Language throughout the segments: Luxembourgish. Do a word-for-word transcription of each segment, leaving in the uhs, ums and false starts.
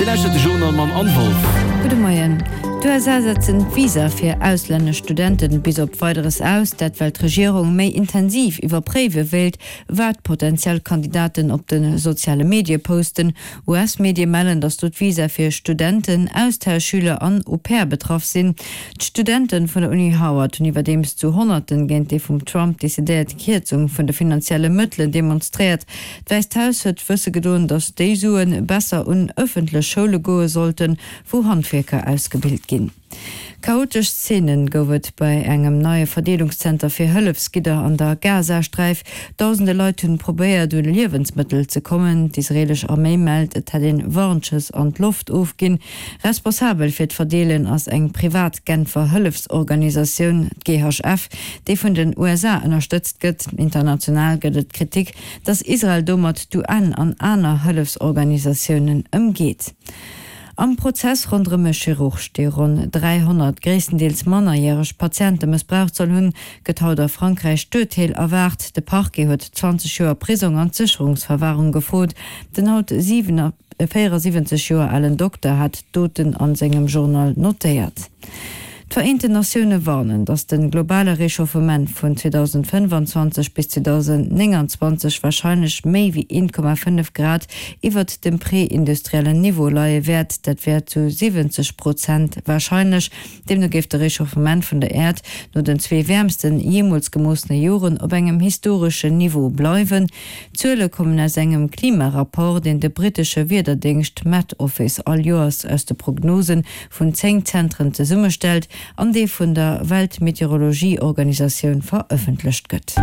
Dir lauschtert de Journal mam Anne Wolff. Gudde Moien. D'USA setzen d'Visa fir auslännesch Studenten bis op Weideres aus, dat well d'Regierung méi intensiv iwwerpréiwe wéilt, wat potentiell Kandidaten op de soziale Medie posten. US-Medie mellen, datt do d'Visa fir Studenten, Austauschschüler an Au-pair betraff sinn. D'Studente vun der Uni Howard hunn iwwerdeems zu Honnerten géint déi vum Trump decidéiert Kierzung vun de finanzielle Mëttelen demonstréiert. D'Wäisst Haus huet wësse gedoen, datt déi Sue besser un ëffentlech Schoule goe sollten, wou Handwierker ausgebilt ginn. Chaotesch Zeenen gouf et bei engem neie Verdeelungszenter fir Hëllefsgidder an der Gazasträif. Dausende Leit hunn probéiert, un Liewensmëttel ze kommen. D'israeelesch Arméi mellt, et hätt een Warnschëss an d'Loft ofginn. Responsabel fir d'Verdeelen ass eng privat Genfer Hëllefsorganisatioun, d'GHF, déi vun den USA ënnerstëtzt gëtt. International gëtt et Kritik, datt Israel domat d'UN an aner Hëllefsorganisatiounen ëmgeet. Am Prozess ronderëm e Chirurg, dee ronn dräihonnert gréisstendeels mannerjäreg Patiente mëssbraucht soll hunn, gëtt haut a Frankräich d'Urteel erwaart. De Parquet huet zwanzeg Joer Prisong an Sécherungsverwarung gefrot. Den haut véierasiwwenzeg Joer alen Dokter hat d'Doten a sengem Journal notéiert. D'Vereenten Natioune warnen, datt de globale Rechauffement vun zweedausendfënnfanzwanzeg bis zweedausendnénganzwanzeg warscheinlech méi wéi een Komma fënnef Grad iwwert dem prä-industriellen Niveau leie wäert. Dat wär zu siwwenzeg Prozent warscheinlech. Deemno géif de Rechauffement vun der Äerd no den zwee wäermsten jeemools gemoossene Joren op engem historeschen Niveau bleiwen. D'Zuele kommen aus engem Klimarapport, deen de brittesche Wiederdéngscht Met Office all Joers aus de Prognose vun zéng Zentren zesummestellt an dee vun der Weltmeteorologieorganisatioun verëffentlecht gëtt.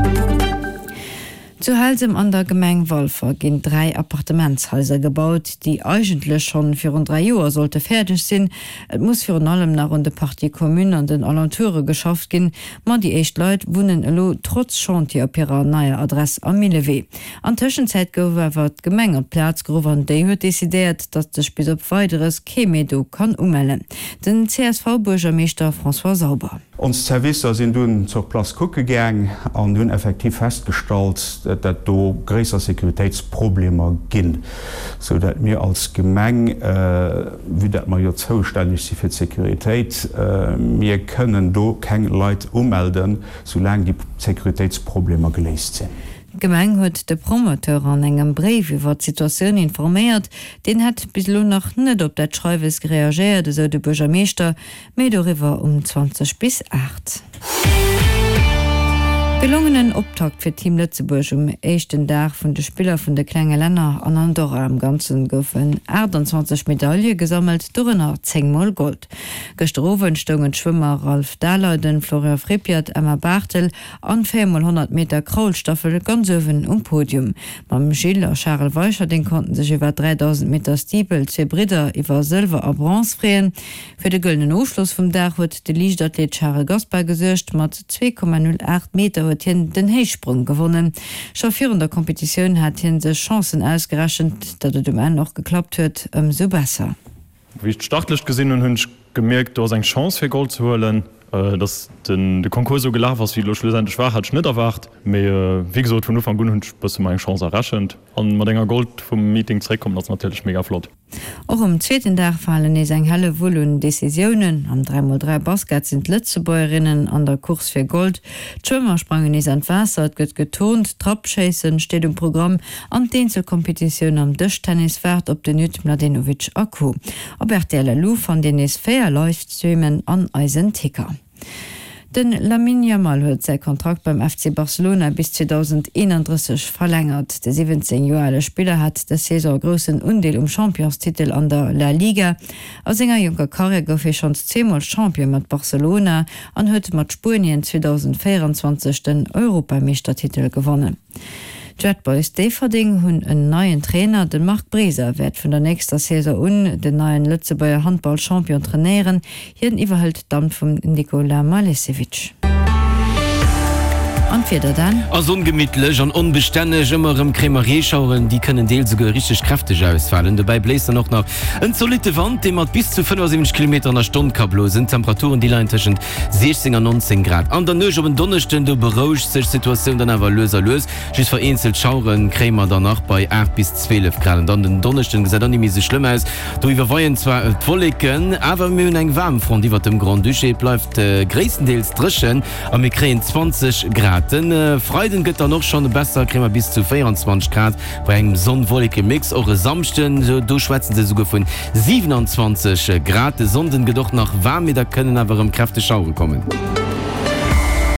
Zu Helsem an der Gemeng Walfer ginn dräi Appartementshaiser gebaut, déi eigentlech schonn virun dräi Joer sollte fäerdeg sinn. Et muss virun allem nach un de Parties communes an den Alentoure geschafft ginn, ma déi éischt Leit wunnen elo trotz Chantier op hirer neier Adress am Millewee. An Tëschenzäit gouf awer d'Gemeng op d'Plaz geruff an déi huet decidéiert, datt sech bis op Weideres kee méi do kann umellen. Den C S V-Buergermeeschter François Sauber. Ons Servicer sinn dunn sur place kucke gaang an hunn effektiv festgestallt, dat do gréisser Sécuritéitsproblemer ginn, sou dat mir als Gemeng, vue dat mer jo zoustänneg si fir d'Sécuritéit, mir kënnen do keng Leit umelden, soulaang déi Sécuritéitsproblemer geléist sinn. D'Gemeng huet de Promoteur an engem Bréif iwwer d'Situatioun informéiert. Deen hätt bis elo nach net op dat Schreiwes reagéiert, esou de Buergermeeschter. Méi doriwwer um zwanzeg bis aacht. Gelongenen Optakt fir Team Lëtzebuerg um éischten Dag vun de Spiller vun de klenge Länner an Andorra. Am Ganzen goufen aachtanzwanzeg Medaile gesammelt, dorënner zéng mol Gold. Gëschter Owend stoungen d'Schwëmmer Ralph Daleiden, Florian Frippiat, Emma Barthel an d'véier mol honnert Meter Kraulstaffel ganz uewen um Podium. Mam Gilles a Charel Weicherding konnten sech iwwer dräidausend Meter Steeple zwee Bridder iwwer Sëlwer a Bronze freeën. Fir de gëllenen Ofschloss vum Dag huet de Liichtathlet Charel Gaspar gesuergt. Mat zwee Komma null aacht Meter huet hien den Héichsprong gewonnen. Scho virun der Competitioun hat hie sech Chancen ausgerechent. Datt et um Enn och geklappt huet, ëmsou besser. Wéi ech d'Startlëscht gesinn hunn, hunn ech gemierkt, do ass eng Chance fir Gold ze huelen. Dass den de Concours esou gelaf ass, wéi et elo schlussendlech war, hat ech net erwaart. Mee wéi gesot, vun Ufank un hunn ech bësse mer eng Chance errechent. An mat enger Gold vum Meeting zeréckkommen ass natierlech mega flott. Och um zweeten Dag falen nees eng helle Wull un Decisiounen. Am dräi mol dräi Basket sinn d'Lëtzebuergerinnen an der Course fir Gold. D'Schwëmmer sprangen nees an d'Waasser, et gëtt geturnt, d'Trappschéissen steet um Programm an d'Eenzelkompetitioun am Dëschtennis waart op den Nyt Mladenovic a Co. Op rtl Lu fannt Dir nees véier Livestreamen an eisen Ticker. De Lamine Yamal huet säi Kontrakt beim F C Barcelona bis zweedausendeenandrësseg verlängert. De siwwenzéng Joer ale Spiller hat dës Saison e groussen Undeel um Championstitel an der La Liga. A senger jonker Karriär gouf hie schonns zweemol Champion mat Barcelona an huet mat Spuenien zweedausendvéieranzwanzeg den Europameeschtertitel gewonnen. D'Red Boys Déifferdeng hunn en neien Trainer. De Marc Breser wäert vun der nächster Saison un den neien Lëtzebuerger Handball-Champion trainéieren. Hien iwwerhëlt d'Amt vum Nikola Malesevic. An d'Wieder dann? Ass ongemittlech an onbestänneg, ëmmer erëm kréie mer Reeschaueren, déi kënnen deels esouguer richteg kräfteg ausfalen. Dobäi bléist dann och nach en zolitte Wand, dee mat bis zu fënnefasiwwenzeg Kilometer an der Stonn ka blosen. D'Temperaturen, déi leien tëschent siechzéng an nonzéng Grad. An der Nuecht op en Donneschden, do berouegt sech d'Situatioun dann awer lues a lues. Just vereenzelt Schauere kréie mer dann nach bei aacht bis zwielef Grad. An dann den Donneschden gesäit och ni méi esou schlëmm aus, do iwwerweien zwar d'Wolleken, awer mir hunn eng Waarmfront iwwert dem Grand-Duché. Et bleift gréisstendeels dréchen a mir kréien zwanzeg Grad. Den Freiden gëtt dann och schonn besser, kréie mer bis zu véierundzwanzeg Grad bei engem Sonn-Wolleke-Mix. Och e Samschden, do schwätze se esouguer vun siwenanzwanzeg Grad. De Sonnden gëtt och nach waarm, mee da kënnen awer erëm kräfteg Schauere kommen.